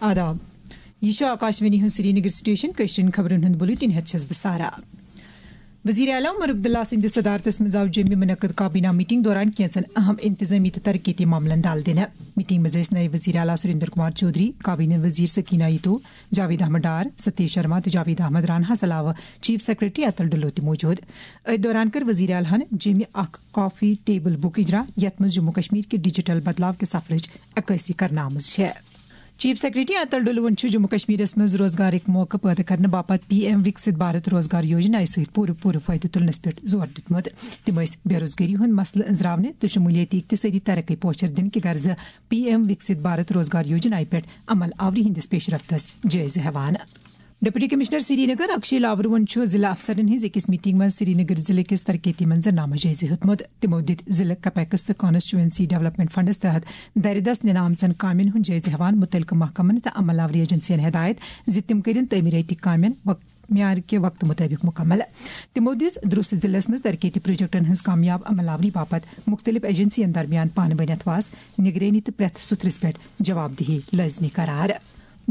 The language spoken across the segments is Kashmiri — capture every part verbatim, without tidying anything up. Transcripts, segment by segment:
آداب۔ یہِ چھُ آکاشوانی ہُنٛد سرینگر سٹیشن۔ کٲشرٮ۪ن خبرن ہُنٛد بلیٹن ہٮ۪تھ چھَس بہٕ سارا۔ وزیر اعلیٰ عمر عبداللہ سٕنٛدِس صدارتس منٛز آو جوٚمہِ منعقد کابینہ میٹنگ دوران کینٛژن اہم انتظامی تہٕ ترقیتی معاملن دل دِنہٕ۔ میٹنگ منٛز ٲسۍ نٲیِب وزیر اعلیٰ سریندر کمار چودھری، کابینہ وزیر سکینہ ایتو، جاوید احمد ڈار، ستیش شرما تہٕ جاوید احمد راناہس علاوٕ چیف سیکرٹری اتل ڈلو تہِ موجود۔ أتھۍ دوران کٔر وزیر اعلیٰ ہن جوٚمہِ اکھ کافی ٹیبل بُک اجرا، یتھ منٛز جموں کشمیر کہِ ڈیجیٹل بدلاو کہِ سفرٕچ عکٲسی کرنہٕ آمٕژ چھےٚ۔ چیف سیکرٹری اتل ڈلوَن چھُ جموں کشمیرس منٛز روزگارٕکۍ موقعہٕ پٲدٕ کرنہٕ باپتھ پی ایم وکسِت بھارت روزگار یوجنا سۭتۍ پوٗرٕ پوٗرٕ فٲیدٕ تُلنس پٮ۪ٹھ زور دیُتمُت۔ تِم ٲسۍ بے روزگٲری ہُنٛد مسلہٕ أنٛزراونہٕ تہٕ شمولیتی اقتصٲدی ترقی پوچھر دِنہٕ کہِ غرضہٕ پی ایم وکسِت بھارت روزگار یوجنا پٮ۪ٹھ عمل آوری ہٕنٛدِس پیش رفتس جٲیزٕ ہٮ۪وان۔ ڈپٹی کمشنر سرینگر اکشے لاورون چھُ ضلع افسرن ہٕنٛز أکِس میٹنگ منٛز سرینگر ضلع کِس ترقیتی منظرنامس جٲیزٕ ہیوٚتمُت۔ تِمو دِتۍ ضلع کیپیکس تہٕ کانسٹیچوئنسی ڈیولپمنٹ فنڈس تحت دَرِ دَست نِنہٕ آمژن کامٮ۪ن ہُنٛد جٲیزٕ ہٮ۪وان مُتعلقہٕ محکمن تہٕ عمل آوری ایجنسین ہدایت زِ تِم کٔرِن تعمیٖرٲتی کامٮ۪ن وق-، معیار کہِ وقتہٕ مُطٲبِق مُکمل۔ تِمو دِژ درست ضلعس منٛز ترقیتی پروجیکٹن ہٕنٛز کامیاب عمل آوری باپتھ مُختٔلِف ایجنسین درمیان پانہٕ ؤنۍ اتھواس، نگرٲنی تہٕ پرٛٮ۪تھ سُتھرِس پٮ۪ٹھ جواب دہی لٲزمی قرار۔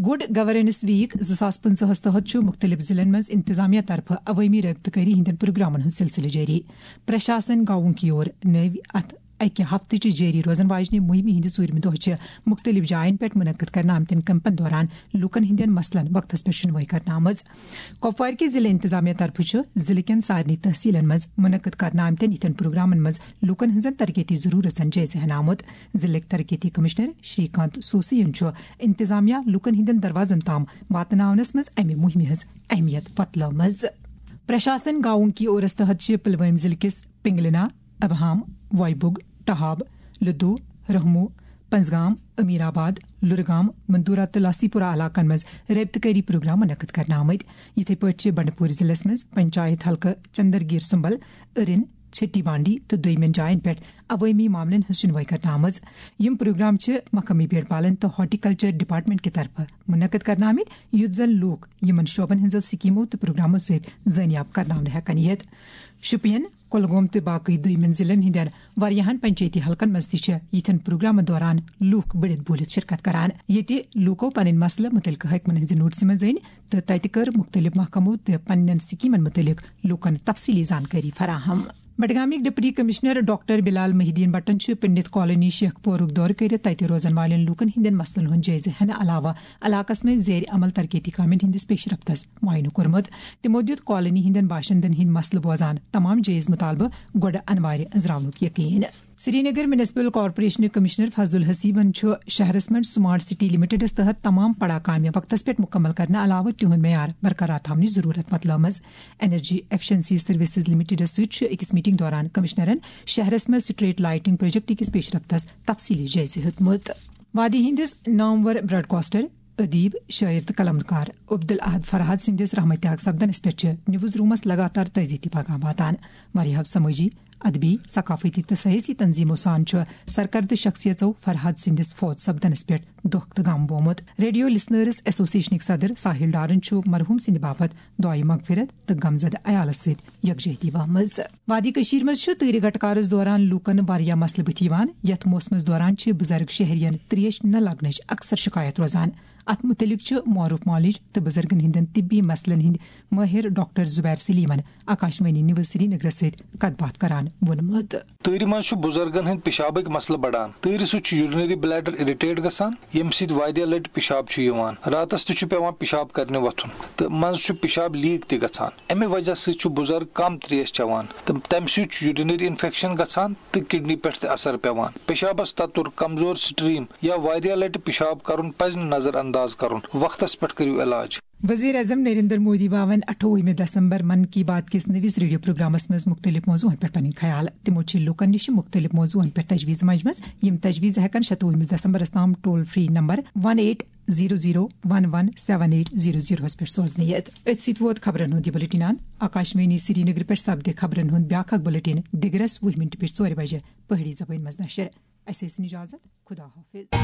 گڈ گورننس ویک زٕ ساس پٕنٛژٕہس تحت چھُ مُختٔلِف ضلعن منٛز انتظامیہ طرفہٕ عوٲمی رٲبطہٕ کٲری ہٕنٛدٮ۪ن پروگرامن ہُنٛد سلسلہٕ جٲری۔ پرشاسن گاؤں کی اور نٲوۍ اتھ اکہِ ہفتہٕ چہِ جٲری روزن واجنہِ مُہِمہِ ہٕنٛدِ ژوٗرمہِ دۄہ چھِ مُختٔلِف جاین پٮ۪ٹھ منعقد کرنہٕ آمتٮ۪ن کیمپن دوران لوٗکن ہٕنٛدٮ۪ن مسلن وقتس پٮ۪ٹھ شُنوٲیی کرنہٕ آمٕژ۔ کۄپوارِ کہِ ضلعہٕ انتظامیہ طرفہٕ چھُ ضلعہٕ کٮ۪ن سارنٕے تحصیلن منٛز منعقد کرنہٕ آمتٮ۪ن یِتھٮ۪ن پروگرامن منٛز لوٗکن ہٕنٛزن ترقیتی ضروٗرژن جٲیزٕ ہٮ۪نہٕ آمُت۔ ضلعٕکۍ ترقیتی کمشنر شری کانت سوسین چھُ انتظامیہ لوٗکن ہٕنٛدٮ۪ن دروازن تام واتناونس منٛز امہِ مُہِمہِ ہٕنٛز اہمیت وۄتلٲومٕژ۔ پرشاسن گاؤں کی اورس تحت چھِ پلوٲمۍ ضلعہٕ کِس پنگلنا، ابہام، وایبُگ، ٹہاب، لدو، رہمو، پنزگام، امیر آباد، لُرگام، مندورہ تہٕ لاسیپورہ علاقن منٛز رٲبطہٕ کٲری پروگرام منعقد کرنہٕ آمٕتۍ۔ یِتھے پٲٹھۍ چھِ بنڈپور ضلعس منٛز پنچایت حلقہٕ چندرگیر سمبل، ارن، چھٹی بانڈی تہٕ دویمٮ۪ن جاین پٮ۪ٹھ عوٲمی معاملن ہٕنٛز شُنوٲیی کرنہٕ آمٕژ۔ یِم پروگرام چھِ مقٲمی بیٹ پالن تہٕ ہارٹیکلچر ڈپارٹمنٹ کہِ طرفہٕ منعقد کرنہٕ آمٕتۍ، یُتھ زن لوٗکھ یِمن شعبن ہٕنٛزو سکیمو تہٕ پروگرامو سۭتۍ زٲنیاب کرناونہٕ ہٮ۪کن یِتھ۔ شُپین، کۄلگوم تہٕ باقٕے دویمٮ۪ن ضلعن ہٕنٛدٮ۪ن واریاہن پنچایتی حلقن منٛز تہِ چھِ یِتھٮ۪ن پروگرامن دوران لوٗکھ بٔڑِتھ بوٗلِتھ شرکت کران، ییٚتہِ لوٗکو پنٕنۍ مسلہٕ مُتعلقہٕ حٲکمن ہٕنٛزِ نوٹسہِ منٛز أنۍ تہٕ تتہِ کٔر مُختٔلِف محکمو تہٕ پننٮ۪ن سکیمن مُتعلق لوٗکن تفصیلی زانکٲری فراہم۔ بڈگامٕکۍ ڈپٹی کمشنر ڈاکٹر بلال محی الدین بٹن چھُ پنڈت کالونی شیخ پورُک دورٕ کٔرِتھ تتہِ روزن والٮ۪ن لوٗکن ہٕنٛدٮ۪ن مسلن ہُنٛد جٲیزٕ ہٮ۪نہٕ علاوٕ علاقس منٛز زیر عمل ترقیتی کامٮ۪ن ہٕنٛدِس پیش رفتس معائنہٕ کوٚرمُت۔ تِمو دِیُت کالونی ہٕنٛدٮ۪ن باشندن ہٕنٛدۍ مسلہٕ بوزان تمام جٲیز مطالبہٕ گۄڈٕ انوارِ أنٛزراونُک یقین۔ سرینگر میونسپل کارپوریشنٕکۍ کمشنر فضل الحسیبن چھُ شہرس منٛز سمارٹ سٹی لمیٹڈس تحت تمام پڑا کامہِ وقتس پٮ۪ٹھ مکمل کرنہٕ علاوٕ تِہُنٛد معیار برقرار تھاونٕچ ضروٗرت وۄتلٲومٕژ۔ انرجی ایفیشنسی سروسز لمیٹڈس سۭتۍ چھُ أکِس میٹنگ دوران کمشنرن شہرس منٛز سٹریٹ لائٹنگ پروجیکٹ کِس پیش رفتس تفصیلی جٲیزٕ ہیوٚتمُت۔ وادی ہٕنٛدِس نامور براڈکاسٹر، ادیب، شٲعر تہٕ قلمکار عبدالاحد فرہاد سٕنٛدِس رحمتیاگ سپدنس پٮ۪ٹھ چھِ نیوز رومس لگاتار تعزیتی پیغام واتان۔ واریاہو سمٲجی، ادبی، ثقافتی تہٕ سیٲسی تنظیمو سان چھُ سرکردٕ شخصیژو فرہاد سٕنٛدِس فوت سپدنس پٮ۪ٹھ دۄکھ تہٕ غم بومُت۔ ریڈیو لسنرز ایسوسیشنٕکۍ صدر ساحل ڈارن چھُ مرحوم سٕنٛدِ باپتھ دعائے مغفرت تہٕ غمزدٕ عیالس سۭتۍ یکجہتی ؤہمٕژ۔ وادی کٔشیٖر منٛز چھُ تۭرِ گٹکارس دوران لوٗکن واریاہ مسلہٕ بٕتھِ یِوان، یتھ موسمس دوران چھِ بُزرگ شہرین تریش نہ لگنٕچ اکثر شکایت روزان۔ اتھ مُتعلق چھُ معروف معالج تہٕ بُزرگن ہٕنٛدٮ۪ن طبی مسلن ہٕنٛدۍ مٲہِر ڈاکٹر زبیر سلیمن آکاشوانی نیوز سرینگرس سۭتۍ کتھ باتھ کران ووٚنمُت۔ تۭرِ منٛز چھُ بُزرگن ہٕنٛدۍ پِشابٕکۍ مسلہٕ بڑان۔ تۭرِ سۭتۍ چھُ urinary bladder irritate گژھان، ییٚمہِ سۭتۍ واریاہ لٹہِ پِشاب چھُ یِوان۔ راتس تہِ چھُ پٮ۪وان پِشاب کرنہِ وۄتھُن تہٕ منٛزٕ چھُ پِشاب لیٖک تہِ گژھان۔ اَمہِ وجہ سۭتۍ چھُ بُزرگ کم تریش چٮ۪وان تہٕ تَمہِ سۭتۍ چھُ urinary infection گژھان تہٕ کڈنی پٮ۪ٹھ تہِ اثر پٮ۪وان۔ پِشابس تتُر، کمزور stream یا واریاہ لٹہِ پِشاب کرُن پزِ نہٕ نظر انداز کرُن۔ وقتس پٮ۪ٹھ کٔرِو علاج۔ وزیر اعظم نریندر مودی باون اَٹھووُہمہِ دسمبر من کی بات کِس نٔوِس ریڈیو پروگرامس منٛز مُختٔلِف موضوعن پٮ۪ٹھ پنٕنۍ خیال۔ تِمو چھِ لوٗکن نِش مُختٔلِف موضوعن پٮ۪ٹھ تجویٖز مجمژ، یِم تجویٖز ہٮ۪کن شَتوُہمِس دسمبرس تام toll free number one eight zero zero one one seven eight zero زیٖروہس پٮ۪ٹھ سوزنہٕ یِتھ۔ أتھۍ سۭتۍ ووت خبرن ہُنٛد یہِ بُلٹن اند۔ آکاشوانی سرینگرٕ پٮ۪ٹھ سپدِ خبرن ہُنٛد بیٛاکھ اکھ بُلٹن دِگرس وُہ مِنٹہِ پٮ۪ٹھ ژورِ بجہِ پہٲڑی زبٲنۍ منٛز نشر۔ اسہِ ٲسِن اجازت۔ خدا حافظ۔